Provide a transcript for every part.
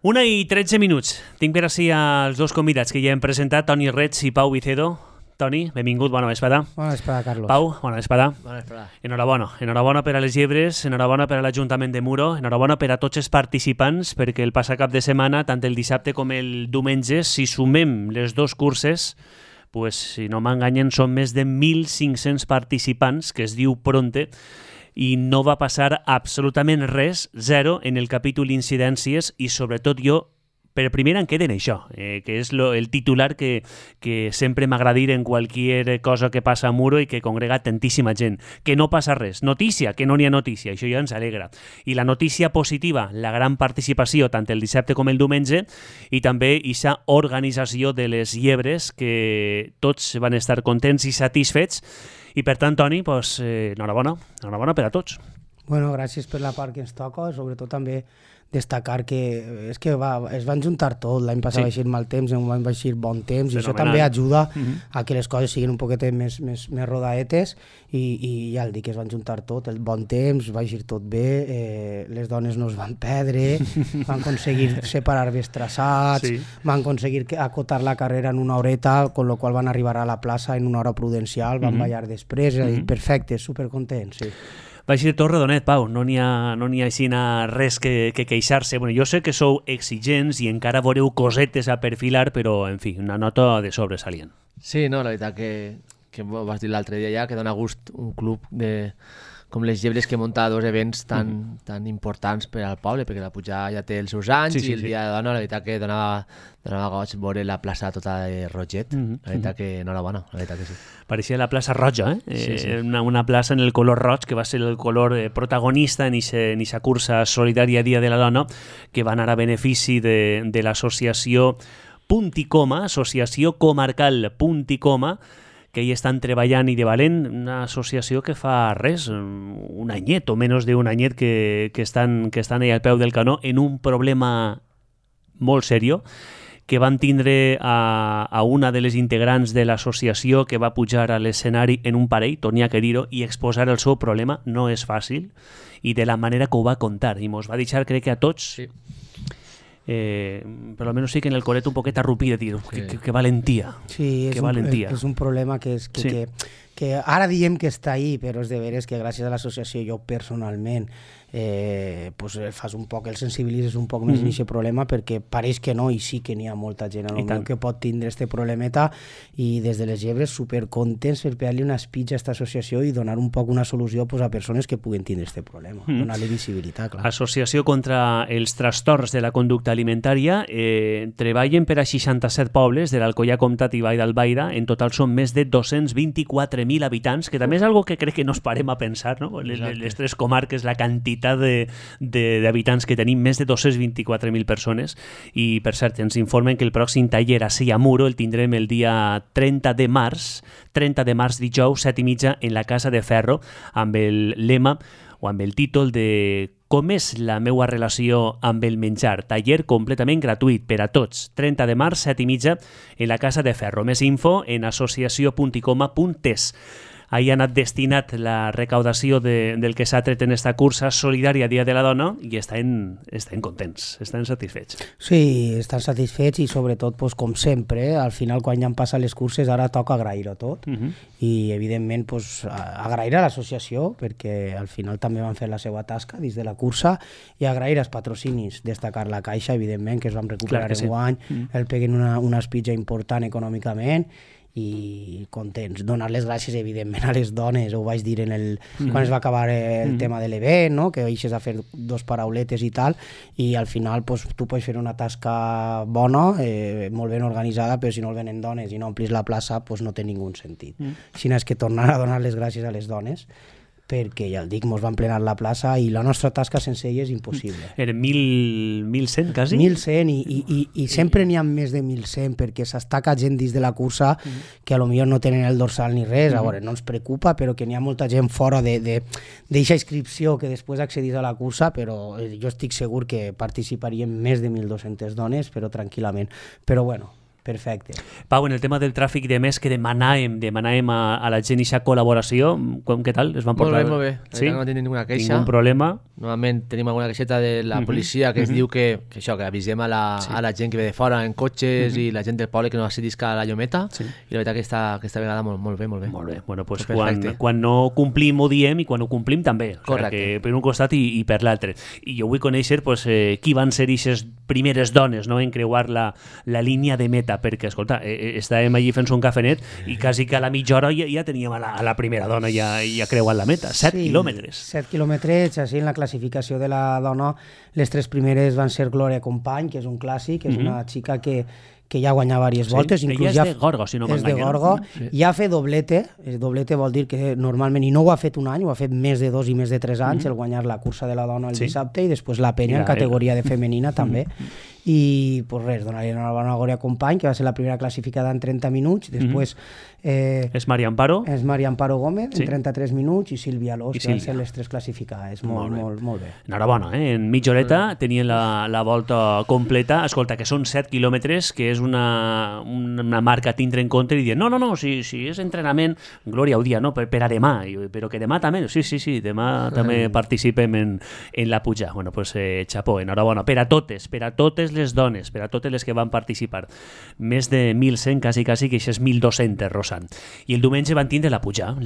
1:13. Tinc per ací els dos convidats que ja hem presentat, Toni Reig i Pau Vicedo. Toni, benvingut, bona vesprada. Bona vesprada, Carlos. Pau, bona vesprada. Bona vesprada. Enhorabona per a les llebres, enhorabona per a l'Ajuntament de Muro, enhorabona per a tots els participants, perquè el passat cap de setmana, tant el dissabte com el diumenge, si sumem les dos curses, pues, si no m'enganyen, són més de 1.500 participants, que es diu Pronte, i no va passar absolutament res, zero, en el capítol incidències, i sobretot jo, per primera em queden això, que és el titular que sempre m'agrada dir en qualsevol cosa que passa a Muro i que congrega tantíssima gent. Que no passa res. Notícia, que no n'hi ha notícia. Això ja ens alegra. I la notícia positiva, la gran participació, tant el dissabte com el diumenge, i també aquesta organització de les llebres, que tots van estar contents i satisfets. I per tant, Toni, pues, enhorabona per a tots. Bueno, gràcies per la part que ens toca, sobretot també destacar que és que es van juntar tot, l'any passat va eixir mal temps, va eixir bon temps, i això també ajuda a que les coses siguin un poquet més rodaetes, i ja el dic, es van juntar tot, el bon temps, va eixir tot bé, les dones no es van perdre, van aconseguir separar bé els traçats, van aconseguir acotar la carrera en una horeta, con lo qual van arribar a la plaça en una hora prudencial, van ballar després, és a dir, perfecte, supercontents, sí. Va ser tot redonet, Pau, no n'hi ha així res que queixar-se. Bueno, jo sé que sou exigents i encara veureu cosetes a perfilar, però, en fi, una nota de sobresalient. Sí, no, la veritat que vas dir l'altre dia ja, que dona gust un club com les Llebres que munta dos events tan importants per al poble, perquè la Pujada ja té els seus anys i el Dia de Dona, la veritat que donava goig veure la plaça tota de roget, la veritat que enhorabona, la veritat que sí. Pareixia la plaça roja, Sí. Una plaça en el color roig, que va ser el color protagonista en aquesta cursa solidària Dia de la Dona, que va anar a benefici de l'associació Punt i Coma, Associació Comarcal Punt i Coma, que hi estan treballant i de valent, una associació que fa res, un anyet o menys d'un anyet que estan allà al peu del canó en un problema molt seriós, que van tindre a una de les integrants de l'associació que va pujar a l'escenari en un parell, tornia que dir-ho, i exposar el seu problema no és fàcil, i de la manera que ho va contar, i mos va deixar, crec que a tots, Sí. Però almenys sí que en el colet un poquet arrupir de dir, que valentia. Sí, és un problema que ara diem que està ahí, però és de veres que gràcies a l'associació jo personalment fas un poc, el sensibilitzes un poc més en aquest problema, perquè pareix que no, i sí que n'hi ha molta gent que pot tindre este problemeta, i des de les Llebres supercontents per pegar-li una espitja a aquesta associació i donar un poc una solució a persones que puguen tindre este problema, donar-li visibilitat, clar. Associació contra els trastorns de la conducta alimentària, treballen per a 67 pobles de l'Alcoià Comtat i Vall d'Albaida, en total són més de 224.000 habitants, que també és algo que crec que no es parem a pensar, no? Les tres comarques, la quantitat d'habitants que tenim, més de 224.000 persones, i per cert ens informen que el pròxim taller a Muro el tindrem el dia 30 de març dijous, 7:30, en la Casa de Ferro, amb el lema o amb el títol de Com és la meua relació amb el menjar? Taller completament gratuït per a tots. 30 de març, 7:30, en la Casa de Ferro. Més info en associació.icoma.es. Ahí ha anat destinat la recaudació del que s'ha tret en esta cursa solidària Dia de la Dona, i estan contents, estan satisfets. Sí, estan satisfets, i sobretot, com sempre, al final quan ja han passat les curses ara toca agrair-ho tot, i evidentment agrair a l'associació, perquè al final també van fer la seva tasca dins de la cursa, i agrair als patrocinis, destacar la Caixa, evidentment, que es van recuperar enguany, el peguen una espitja important econòmicament, i contents. Donar les gràcies, evidentment, a les dones, ho vaig dir quan es va acabar el tema de l'event, no? Que deixes a fer dos parauletes i tal, i al final tu pots fer una tasca bona, molt ben organitzada, però si no el venen dones i no omplis la plaça, no té ningú sentit. Així és que tornar a donar les gràcies a les dones, perquè ja el dic, mos van plenar la plaça i la nostra tasca sense ella és impossible. Eren 1.100, quasi? 1.100, i sempre n'hi ha més de 1.100, perquè s'estaca gent dins de la cursa que a lo millor no tenen el dorsal ni res, a veure, no ens preocupa, però que n'hi ha molta gent fora d'eixa inscripció que després accedís a la cursa, però jo estic segur que participarien més de 1.200 dones, però tranquil·lament. Però bueno, Perfecte. Pau, en el tema del tràfic de més que demanàvem a la gent aquesta col·laboració, què tal? Es van portar... Molt bé. Sí? No tenim ninguna queixa. Ningún problema. Normalment tenim alguna queixeta de la policia que es diu que avisem a la gent que ve de fora en cotxes i la gent del poble que no accedisca a la llometa, i la veritat que aquesta vegada molt bé. Molt bé. Bueno, pues quan no complim ho diem i quan ho complim també. Correcte. Que per un costat i per l'altre. I jo vull conèixer qui van ser aquestes primeres dones, no?, en creuar la línia de meta, perquè, escolta, estàvem allí fent un cafenet i quasi que a la mitja hora ja teníem a la primera dona ja creuant la meta, 7 quilòmetres. 7 quilòmetres, així en la classificació de la dona, les 3 primeres van ser Glòria Company, que és un clàssic, és una xica que ja guanya diverses voltes. Ella és de Gorga, si no m'enganya. És de Gorga. Ja ha fet doblete. Doblete vol dir que normalment, i no ho ha fet un any, ho ha fet més de 2 i més de 3 anys, el guanyar la cursa de la dona el dissabte i després la penya en categoria de femenina també. I pues res, donaria una Glòria Company, que va ser la primera classificada en 30 minuts, després és Maria Amparo Gómez en 33 minuts i Sílvia Alós, que van ser les 3 classificades. Molt bé. Enhorabona, en mitja horeta tenien la volta completa. Escolta, que són 7 quilòmetres, que és una marca a tindre en compte i dir, no, si és entrenament, Glòria ho dia, no, per a demà, però que demà també, sí, demà també participem en la puja. Bueno, pues xapó, enhorabona, per a totes les dones, per a totes les que van participar. Més de 1.100, quasi, que això és 1.200, Rosan. I el diumenge van tindre la puja a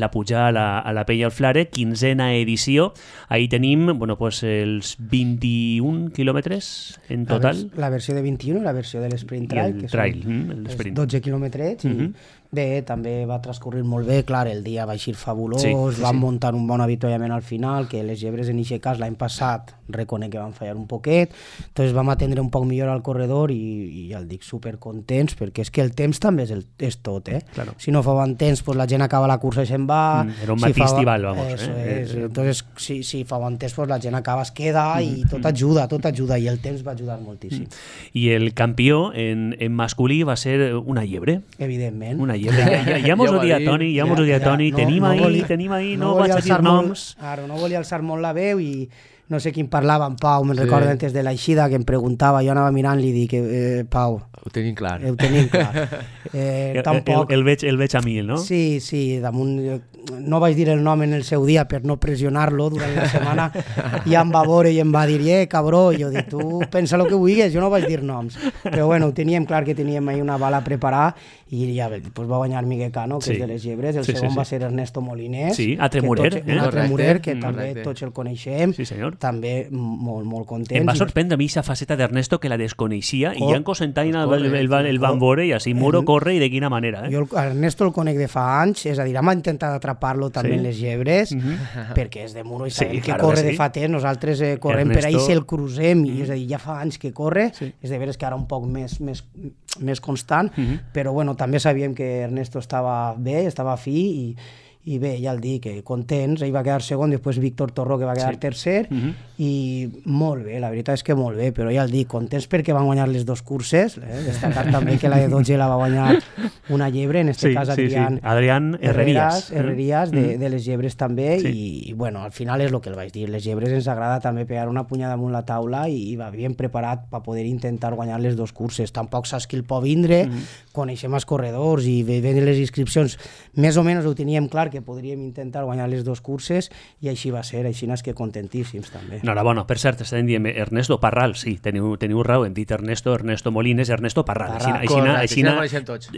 la Pella al Flare, 15a edició. Ahí tenim, bueno, pues els 21 quilòmetres en total. La versió de 21 i la versió de l'Sprint Trail, que són 12 quilòmetres, i bé, també va transcorrir molt bé, clar, el dia va eixir fabulós, van muntar un bon avituallament al final, que les llebres en aquest cas l'any passat reconec que van fallar un poquet, entonces vam atendre un poc millor al corredor i ja el dic, supercontents, perquè és que el temps també és tot, Claro. Si no fa bon temps, pues la gent acaba la cursa i se'n va. Era un matí estival, vamos. Entonces, si fa bon temps, pues la gent acaba, es queda i tot ajuda, i el temps va ajudar moltíssim. I el campió en masculí va ser una llebre. Evidentment. Una llebre. Ja mos ho dia Toni, tenim ahí, no vaig a dir noms. Claro, no volia alçar molt la veu i no sé quin parlava en Pau, me'n recordo antes de l'eixida que em preguntava, jo anava mirant i li dic, Pau, ho tenim clar. Tampoc. El veig a mi, no? Sí, damunt, no vaig dir el nom en el seu dia per no pressionar-lo durant la setmana, i em va veure i em va dir, cabró, i jo dic, tu pensa el que vulguis, jo no vaig dir noms, però bueno, ho teníem clar que teníem ahí una bala preparada i ja pues va guanyar Miguel Cano, que és de les llebres, el segon va ser Ernesto Molines, altre Murer, que també tots el coneixem, sí senyor, també molt contents. Em va sorprendre a mi aquesta faceta d'Ernesto que la desconeixia i ja en Cosentaina el van veure i així Muro corre i de quina manera. Jo Ernesto el conec de fa anys, és a dir, hem intentat atrapar-lo també en les llebres, perquè és de Muro i sabem que corre de fa temps, nosaltres correm per ahí, si el crucem, i és a dir, ja fa anys que corre, és de veres que ara un poc més constant, però bueno, també sabíem que Ernesto estava bé, estava fi i bé, ja el dic, contents, ell va quedar segon, després Víctor Torró, que va quedar tercer, i molt bé, la veritat és que molt bé, però ja el dic, contents perquè van guanyar les 2 curses, destacar també que la de 12 la va guanyar una llebre, en aquest cas Adrián Herrerías de les llebres també, i bueno, al final és el que el vaig dir, les llebres ens agrada també pegar una punyada damunt la taula i va ben preparat per poder intentar guanyar les 2 curses, tampoc saps qui el pot vindre, coneixem els corredors i veient les inscripcions, més o menys ho teníem clar que podríem intentar guanyar les 2 curses i així va ser, així és que contentíssims també. Enhorabona, per cert, estàvem dient Ernesto Parral, sí, teniu raó, hem dit Ernesto Molines, Ernesto Parral. Així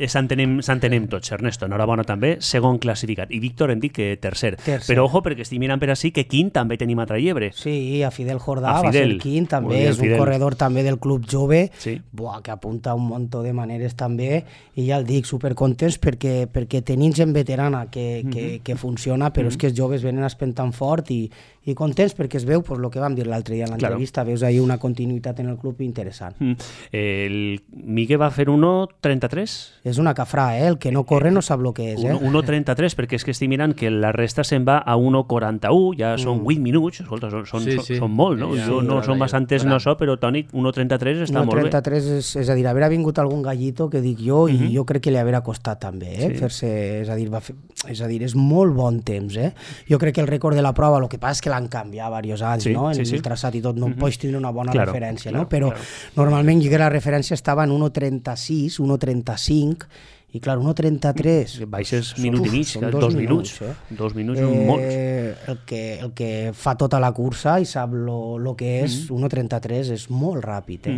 s'entenem tots, Ernesto, enhorabona també, segon classificat, i Víctor hem dit que tercer. Però ojo, perquè estic mirant per així que quint també tenim altra llebre. Sí, a Fidel Jordà va ser quint, també és un corredor també del Club Jove, que apunta un munt de maneres també, i ja el dic, supercontents perquè tenim gent veterana que funciona, però és que els joves venen espentant fort i contents perquè es veu el que vam dir l'altre dia en l'entrevista, veus ahí una continuïtat en el club interessant. El Migue va fer 1.33? És una cafrà, el que no corre no sap el que és. 1.33, perquè és que estic mirant que la resta se'n va a 1.41, ja són 8 minuts, escolta, són molt, no? No són bastantes, no so, però Toni, 1.33 està molt bé. 1.33 és a dir, haver vingut algun gallito, que dic jo, i jo crec que li haurà costat també, fer-se, és a dir, és molt bon temps, Jo crec que el rècord de la prova, el que passa és que l'han canviat diversos anys, no? En el traçat i tot, no pots tenir una bona referència, no? Però normalment jo que la referència estava en 1.36, 1.35, i clar, 1.33... Baixes minut i mig, 2 minuts. 2 minuts són molts. El que fa tota la cursa i sap el que és 1.33 és molt ràpid.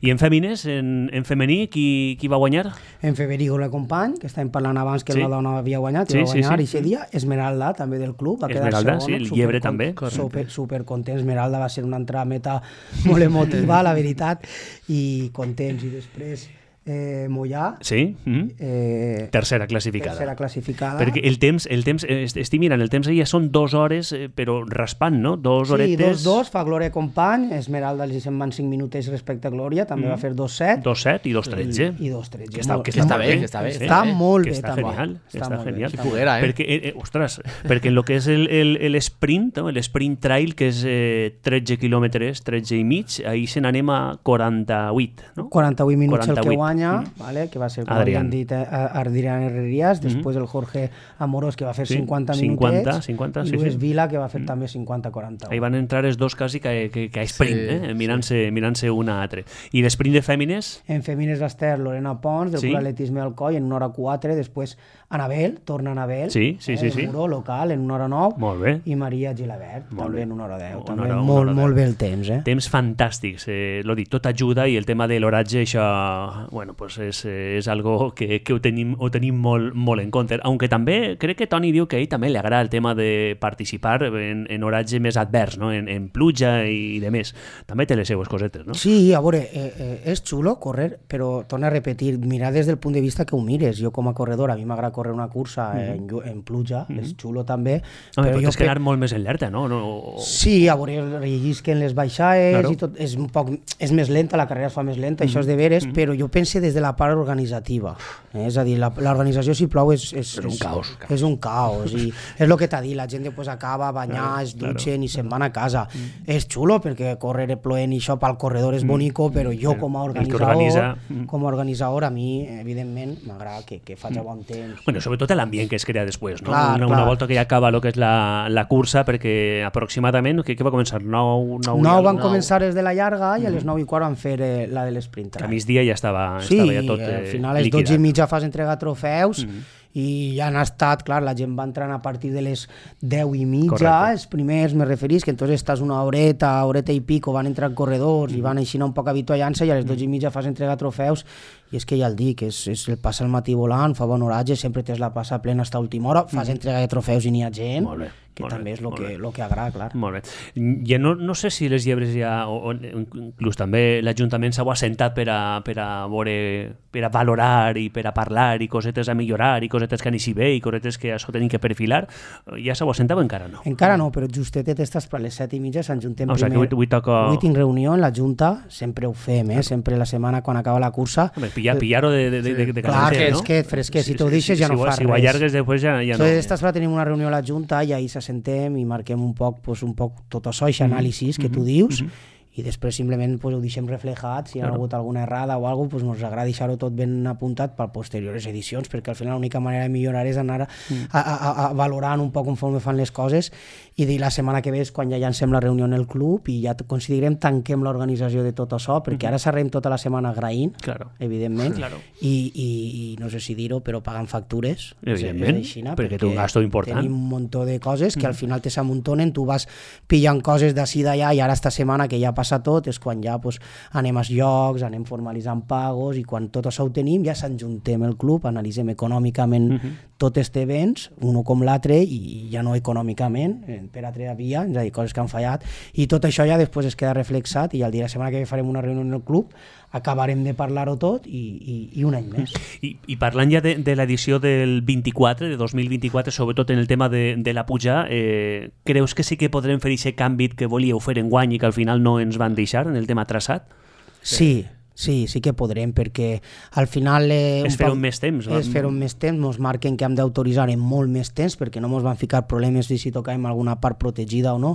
I en fèmines, en femení, qui va guanyar? En Federico la company, que estàvem parlant abans que la dona havia guanyat, i va guanyar aquest dia. Esmeralda, també del club, va quedar Esmeralda, sí, el Llebre també. Supercontent, Esmeralda va ser una entrada meta molt emotiva, la veritat, i contents, i després... Mollà, tercera classificada. Perquè el temps, estic mirant, el temps ja són 2 hores, però raspant, no? 2 horetes... Sí, 2-2, fa Glòria company, Esmeralda els se'n van 5 minutets respecte a Glòria, també va fer 2-7. 2-7 i 2-13. I 2-13. Que està bé. Està molt bé, també. Està genial. Si poguera, Perquè, perquè en el que és l'esprint, l'esprint trail, que és 13 quilòmetres, 13 i mig, ahir se n'anem a 48, no? 48 minuts el que guanya, vale, que va ser, com havíem dit, Adrián Herrerías, després el Jorge Amorós, que va fer 50 minutets, 50, i Luis Vila, que va fer també 50-40. Ahí van entrar els dos quasi que a sprint, mirant-se una a altra. I l'esprint de fèmines? En fèmines va estar Lorena Pons, del Club Atletisme Alcoi, en 1h04, després Anabel, torna Anabel, el Muró local, en 1h09, molt bé. I Maria Gilabert, també en 1h10. També molt bé el temps. Temps fantàstics, l'ho dic, tot ajuda, i el tema de l'horatge, això, bueno, pues és algo que ho tenim molt en compte. Aunque també crec que Toni diu que a ell també li agrada el tema de participar en horatge més advers, no? En pluja i de més. També té les seues cosetes, no? Sí, a veure, és xulo córrer, però torna a repetir, mirar des del punt de vista que ho mires. Jo com a corredor, a mi m'agrada córrer una cursa en pluja, és xulo també. Però tens que anar molt més alerta, no? Sí, a veure, rellisquen les baixades i tot, és més lenta, la carrera es fa més lenta, això és de veres, però jo penso des de la part organitzativa. És a dir, l'organització, si plou, és un caos. És un caos, i és el que t'ha dit, la gent després acaba a banyar, es dutxen i se'n van a casa. És xulo, perquè córrer ploent i això pel corredor és bonico, però jo com a organitzador, a mi, evidentment, m'agrada que faci bon temps. Bueno, sobretot l'ambient que es crea després, no? Una volta que ja acaba el que és la cursa, perquè aproximadament, què va començar? 9 van començar des de la llarga i a les 9:15 van fer la de l'esprint. A migdia ja estava ja tot liquidat. Al final a les 12:30 fas entregar trofeus i ja han estat, clar, la gent va entrant a partir de les 10:30, els primers, me referís, que entonces estàs una horeta i pico, van entrar corredors i van així un poc habituallant-se, i a les 12:30 fas entregar trofeus, i és que ja el dic, és el passa el matí volant, fa bon horatge, sempre tens la passa plena fins a última hora, fas entrega de trofeus i n'hi ha gent, que també és el que agrada, clar. Molt bé. Ja no sé si les llebres ja, o inclús també l'Ajuntament s'ha assentat per a veure, per a valorar i per a parlar i cosetes a millorar i cosetes que anirí bé i cosetes que això tenim que perfilar. Ja s'ha assentat o encara no? Encara no, però justetet estàs per les 7:30 s'enjuntem primer. O sigui que avui toca... Avui tinc reunió en la Junta, sempre ho fem, sempre la setmana quan acaba la cursa. Pillar-ho de clar, que fresquet, si t'ho deixes ja no fa res. Si ho allargues després ja no. Estàs per tenir una reunió a la Junta i ahir s'assentem i marquem un poc tot això, aquest anàlisi que tu dius, i després simplement ho deixem reflejat, si hi ha hagut alguna errada o alguna cosa, ens agrada deixar-ho tot ben apuntat per posteriors edicions, perquè al final l'única manera de millorar és anar valorant un poc conforme fan les coses, i dir la setmana que ve és quan ja llancem la reunió en el club i ja considerem, tanquem l'organització de tot això, perquè ara s'arrem tota la setmana agraint, evidentment, i no sé si dir-ho, però pagant factures, evidentment, perquè té un gasto important. Tenim un munt de coses que al final te s'amuntonen, tu vas pillant coses d'ací d'allà, i ara esta setmana que ja passa tot, és quan ja anem als llocs, anem formalitzant pagos, i quan tot això ho tenim ja s'enjuntem el club, analitzem econòmicament tots els events, un com l'altre, i ja no econòmicament, per altra via, és a dir, coses que han fallat, i tot això ja després es queda reflexat, i el dia de la setmana que ve farem una reunió en el club, acabarem de parlar-ho tot i un any més. I parlant ja de l'edició del 24, de 2024, sobretot en el tema de la puja, creus que sí que podrem fer aquest canvi que volíeu fer enguany i que al final no ens van deixar en el tema traçat? Sí, Sí que podrem, perquè al final... És fer un més temps. És fer un més temps, ens marquen que hem d'autoritzar en molt més temps, perquè no ens van ficar problemes si tocàvem alguna part protegida o no,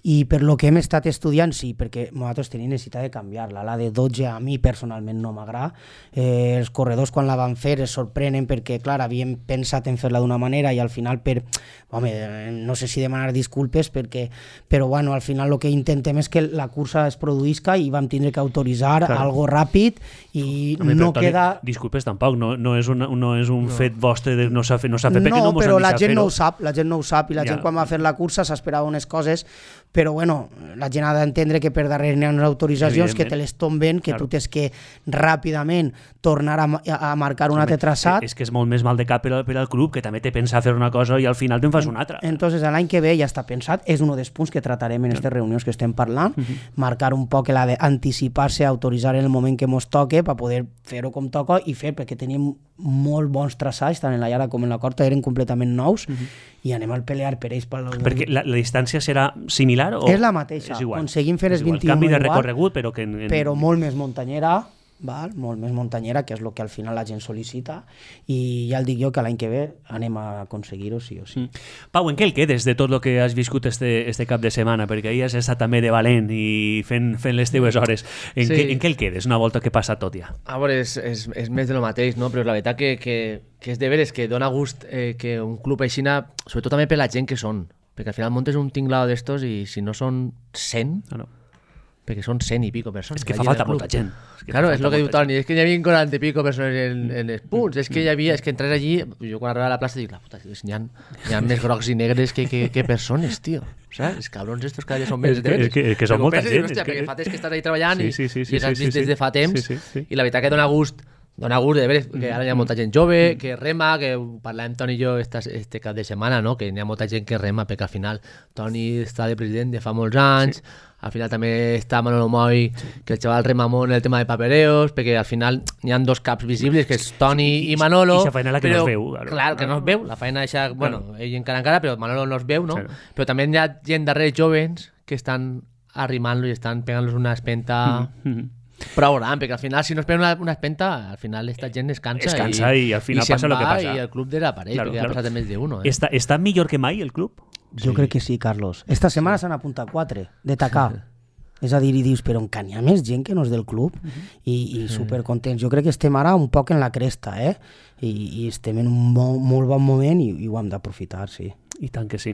i per lo que hem estat estudiant, sí, perquè nosaltres tenim necessitat de canviar-la. La de 12 a mi personalment no m'agrada. Els corredors quan la van fer es sorprenen perquè, clar, havíem pensat en fer-la d'una manera i al final no sé si demanar disculpes, però bueno, al final el que intentem és que la cursa es produïsca i vam tindre que autoritzar algo ràpid i no queda... Disculpes, tampoc, no és un fet vostre de no s'ha fet perquè no mos han deixat fer-ho. No, però la gent no ho sap i la gent quan va fer la cursa s'esperava unes coses, però bueno, la gent ha d'entendre que per darrere hi ha unes autoritzacions que te les tomben, que tu tens que ràpidament tornar a marcar un altre traçat. És que és molt més mal de cap per al club, que també té pensat fer una cosa i al final te'n fas una altra. Entonces l'any que ve ja està pensat, és un dels punts que tratarem en aquestes reunions que estem parlant, marcar un poc la d'anticipar-se, autoritzar en el moment que mos toque per poder fer-ho com toca i fer, perquè tenim molt bons traçats, tant en la llarga com en la corta, eren completament nous i anem a pelear per ells. Perquè la distància serà similar? És la mateixa, aconseguim fer els 21 canvi de recorregut, però molt més muntanyera, molt més muntanyera, que és el que al final la gent sol·licita, i ja el dic jo que l'any que ve anem a aconseguir-ho sí o sí. Pau, en què el quedes de tot el que has viscut este cap de setmana? Perquè ahir has estat també de valent i fent les teves hores. En què el quedes una volta que passa tot ja? A veure, és més de lo mateix, no? Però la veritat que és de veres que dona gust que un club aixina, sobretot també per la gent que són, perquè al final montes un tinglado d'estos i si no són 100... perquè són 100 i pico persones. És que fa falta molta gent. Claro, és el que diu Toni, és que hi havia 40 i pico persones en els punts, és que entres allí, jo quan arribava a la plaça dic, la puta, hi ha més grocs i negres que persones, tio. Saps? Els cabrons estos cada dia són més de veres. Que són molta gent. Perquè fa temps que estàs ahí treballant i has vist des de fa temps i la veritat que dona gust de veres, que ara hi ha molta gent jove, que rema, que parlàvem Toni i jo este cap de setmana, no? Que hi ha molta gent que rema, perquè al final Toni està de president de fa molts anys, al final també està Manolo Moy, que el xaval rema molt el tema de papereos, perquè al final hi ha dos caps visibles, que és Toni i Manolo. I la feina que no es veu. Clar, que no es veu, la feina eixa, bueno, ell encara, però Manolo no es veu, no? Però també hi ha gent darrere joves que estan arrimant-lo i estan pegant-los una espenta... prou gran, perquè al final si no es pega una espenta, al final esta gent es cansa i al final passa el que passa. I el club desapareix, perquè ha passat més d'1. Està millor que mai el club? Jo crec que sí, Carlos. Esta setmana s'han apuntat 4 de tacar. És a dir, i dius, però encara hi ha més gent que no és del club i supercontents. Jo crec que estem ara un poc en la cresta, i estem en un molt bon moment i ho hem d'aprofitar, sí. I tant que sí.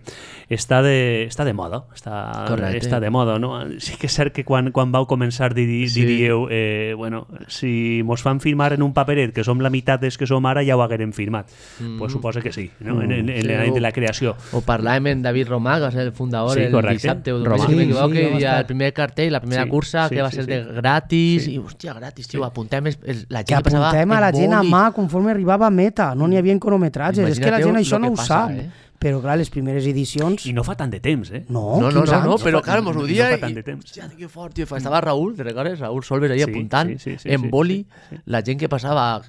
Està de moda. Està de moda, no? Sí que és cert que quan vau començar diríeu, bueno, si mos fan firmar en un paperet que som la meitat des que som ara, ja ho haguérem firmat. Pues suposa que sí, no? En l'any de la creació. O parlàvem amb David Romà, que va ser el fundador el dissabte, si m'equivoco, que hi ha el primer cartell, la primera cursa, que va ser de gratis, i hòstia, gratis, tio, apuntem la gent que passava... Que apuntem a la gent a mà conforme arribava a meta, no n'hi havia cronometratges, és que la gent això no ho sap. Però clar, les primeres edicions... I no fa tant de temps, No, però clar, mos ho dia i... Hòstia, que fort, tio. Estava Raúl, te recordes? Raúl Solves ahí apuntant en boli la gent que passava a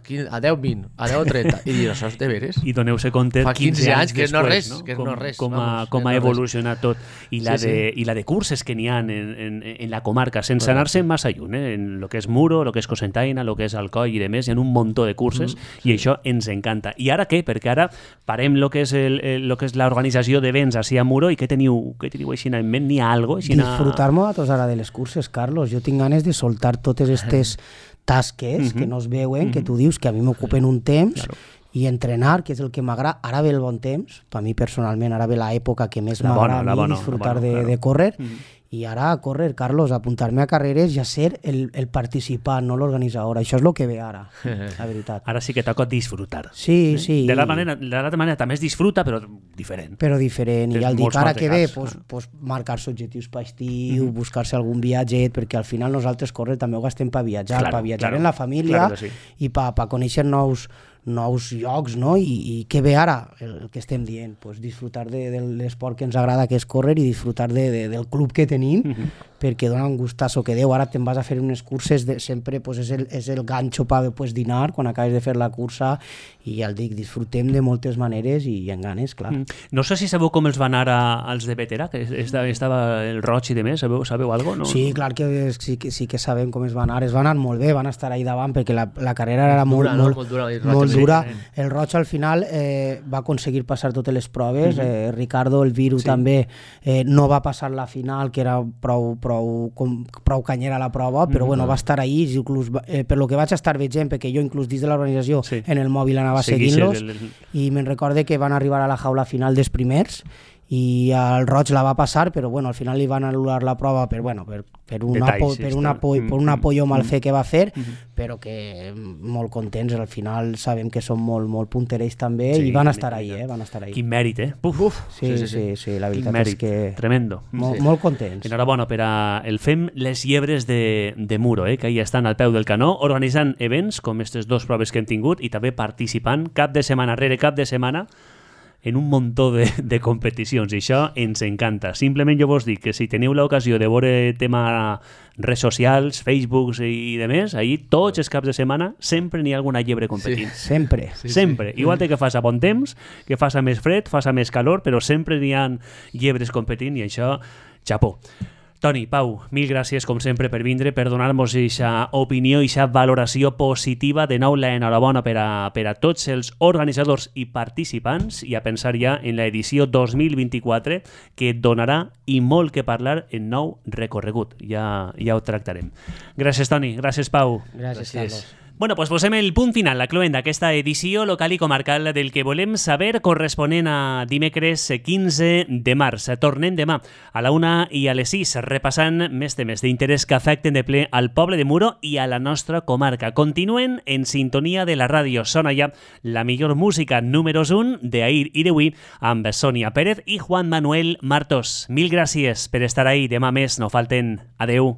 10-20, a 10-30. I dius, això és de veres? I doneu-se compte 15 anys després, que no res. Com ha evolucionat tot. I la de curses que n'hi ha en la comarca, sense anar-se massa lluny, en el que és Muro, el que és Cocentaina, el que és Alcoi i demés, hi ha un muntó de curses i això ens encanta. I ara què? Perquè ara parem el que és l'organització d'events així a Muro i què teniu així en ment? N'hi ha alguna cosa? Disfrutar-me a tots ara de les curses, Carlos. Jo tinc ganes de soltar totes aquestes tasques que no es veuen, que tu dius que a mi m'ocupen un temps i entrenar, que és el que m'agrada. Ara ve el bon temps, per mi personalment, ara ve l'època que més m'agrada a mi disfrutar de córrer. I ara a córrer, Carlos, apuntar-me a carreres i a ser el participant, no l'organitzador. Això és el que ve ara, la veritat. Ara sí que toca disfrutar. Sí. De l'altra manera també es disfruta, però diferent. I ja el dic, ara que ve, marcar-se objectius per estiu, buscar-se algun viatget, perquè al final nosaltres córrer també ho gastem per viatjar, en la família i per conèixer nous llocs, no? I què ve ara, el que estem dient, disfrutar de l'esport que ens agrada, que és córrer, i disfrutar del club que tenim, venint, perquè dona un gustasso que deu. Ara te'n vas a fer unes curses, sempre pues, és el ganxo per pues, dinar quan acabes de fer la cursa, i ja el dic, disfrutem de moltes maneres i en ganes, clar. No sé si sabeu com els va anar als de Vetera, que estava el Roig i de més, sabeu alguna cosa? No? Sí, clar que sí que sabem com es va anar molt bé, van estar ahí davant perquè la carrera era molt dura. El Roig al final va aconseguir passar totes les proves, Ricardo, el Viru també no va passar la final, que era prou canyera la prova, però bueno, va estar ahí, inclús, per lo que vaig estar veient, perquè jo inclús dins de l'organització en el mòbil anava seguint-los, i me'n recorde que van arribar a la jaula final dels primers, i el Roig la va passar, però bueno, al final li van anul·lar la prova per un apoyo mal fet que va fer, però que molt contents, al final sabem que són molt punterells també, i van estar ahí, van estar ahí. Quin mèrit, Sí, la veritat és que... Tremendo. Molt contents. Enhorabona per el Fem les Llebres de Muro, que ahí estan al peu del canó, organitzant events com aquestes dues proves que hem tingut i també participant cap de setmana rere cap de setmana en un muntó de competicions, i això ens encanta. Simplement jo vos dic que si teniu l'ocasió de veure tema redes socials, Facebook i de més, ahí tots els caps de setmana sempre n'hi ha alguna llebre competint. Sí, sempre. Igual que fas a bon temps, que fas a més fred, fas a més calor, però sempre n'hi ha llebres competint, i això, xapó. Toni, Pau, mil gràcies, com sempre, per vindre, per donar-nos aquesta opinió i aquesta valoració positiva. De nou, l'enhorabona per a tots els organitzadors i participants, i a pensar ja en l'edició 2024, que donarà i molt que parlar en nou recorregut. Ja ho tractarem. Gràcies, Toni. Gràcies, Pau. Gràcies, Carlos. Bueno, pues posem el punt final, la cloenda d'aquesta edició local i comarcal del que volem saber, corresponent a dimecres 15 de març. Tornem demà a la 1 i a les 6, repassant més temes d'interès que afecten de ple al poble de Muro i a la nostra comarca. Continuen en sintonia de la ràdio. Sona ja la millor música números 1 d'ahir i d'avui amb Sònia Pérez i Juan Manuel Martos. Mil gràcies per estar ahí. Demà més no falten. Adeu.